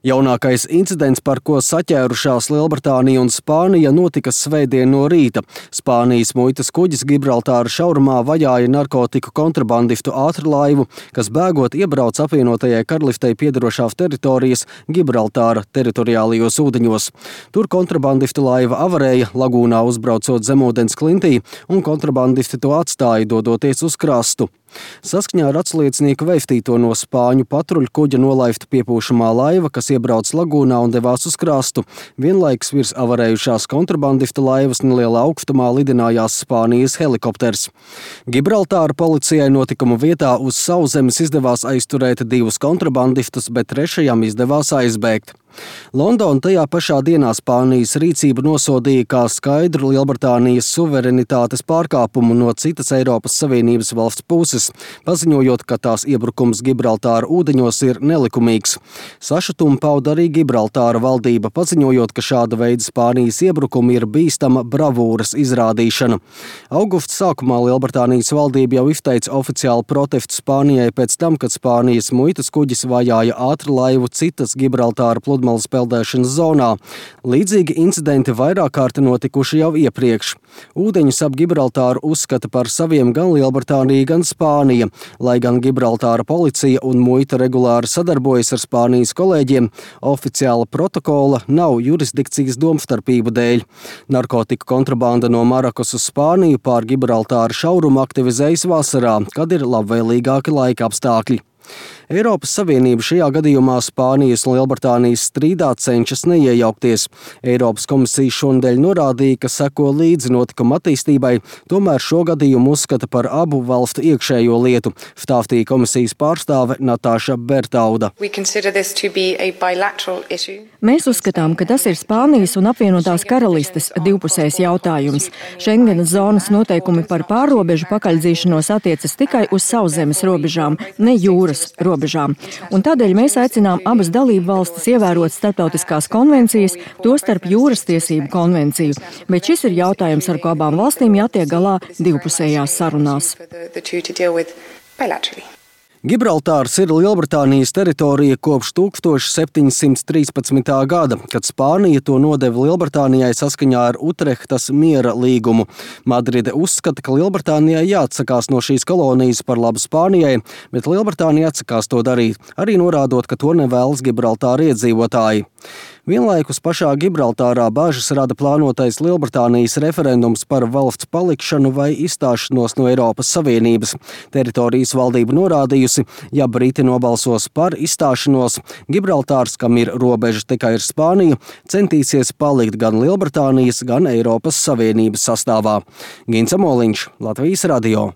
Jaunākais incidents, par ko saķērušās Lielbritānija un Spānija, notika svētdien no rīta. Spānijas muitas kuģis Gibraltāra šaurumā vajāja narkotiku kontrabandistu ātrlaivu, kas bēgot iebrauc apvienotajai Karaliftei piederošās teritorijas Gibraltāra teritoriālajos ūdeņos. Tur kontrabandista laiva avarēja, lagūnā uzbraucot zemūdens klintī, un kontrabandisti to atstāja, dodoties uz krastu. Saskaņā ar atsliecinieku veistīto no spāņu patruļkuģa nolaifta piepūšamā laiva, kas iebrauc lagūnā un devās uz krastu. Vienlaikus virs avarējušās kontrabandista laivas nelielā augstumā lidinājās Spānijas helikopters. Gibraltāra policijai notikuma vietā uz sauszemes izdevās aizturēt 2 kontrabandistus, bet 3. izdevās aizbēgt. Londona tajā pašā dienā Spānijas rīcību nosodīja kā skaidru Lielbritānijas suverenitātes pārkāpumu no citas Eiropas Savienības valsts puses, paziņojot, ka tās iebrukums Gibraltāra ūdeņos ir nelikumīgs. Sašutumu pauda arī Gibraltāra valdība, paziņojot, ka šāda veida Spānijas iebrukumi ir bīstama bravūras izrādīšana. Augusta sākumā Lielbritānijas valdība jau izteica oficiālu protestu Spānijai pēc tam, kad Spānijas muitas kuģis vajāja ātrlaivu citas Gibraltāra pludmales peldēšanas zonā. Līdzīgi incidenti vairāk kārt notikuši jau iepriekš. Ūdeņus ap Gibraltāru uzskata par saviem gan Lielbritānija, gan Spānija. Lai gan Gibraltāra policija un muita regulāri sadarbojas ar Spānijas kolēģiem, oficiāla protokola nav jurisdikcijas domstarpību dēļ. Narkotiku kontrabanda no Marokas uz Spāniju pār Gibraltāra šaurumu aktivizējas vasarā, kad ir labvēlīgāki laika apstākļi. Eiropas Savienība šajā gadījumā Spānijas un Lielbritānijas strīdā cenšas neiejaukties. Eiropas komisija šonadēļ norādīja, ka seko līdzi notikuma attīstībai, tomēr šo gadījumu uzskata par abu valstu iekšējo lietu, stāstīja komisijas pārstāve Natāša Bertauda. Mēs uzskatām, ka tas ir Spānijas un apvienotās karalistes divpusējs jautājums. Šengenas zonas noteikumi par pārrobežu pakaļdzīšanos attiecas tikai uz sauszemes robežām, ne jūras robežām. Un tādēļ mēs aicinām abas dalību valstis ievērot starptautiskās konvencijas, tostarp jūras tiesību konvenciju. Bet šis ir jautājums, ar ko abām valstīm jātiek galā divpusējās sarunās. Gibraltārs ir Lielbritānijas teritorija kopš 1713. gada, kad Spānija to nodeva Lielbritānijai saskaņā ar Utrehtas miera līgumu. Madride uzskata, ka Lielbritānijai jāatsakās no šīs kolonijas par labu Spānijai, bet Lielbritānija atsakās to darīt, arī norādot, ka to nevēlas Gibraltāra iedzīvotāji. Vienlaikus pašā Gibraltārā bažas rada plānotais Lielbritānijas referendums par valsts palikšanu vai izstāšanos no Eiropas Savienības. Teritorijas valdība norādījusi, ja Briti nobalsos par izstāšanos, Gibraltārs, kam ir robeža tikai ar Spāniju, centīsies palikt gan Lielbritānijas, gan Eiropas Savienības sastāvā. Gins Amoliņš, Latvijas radio.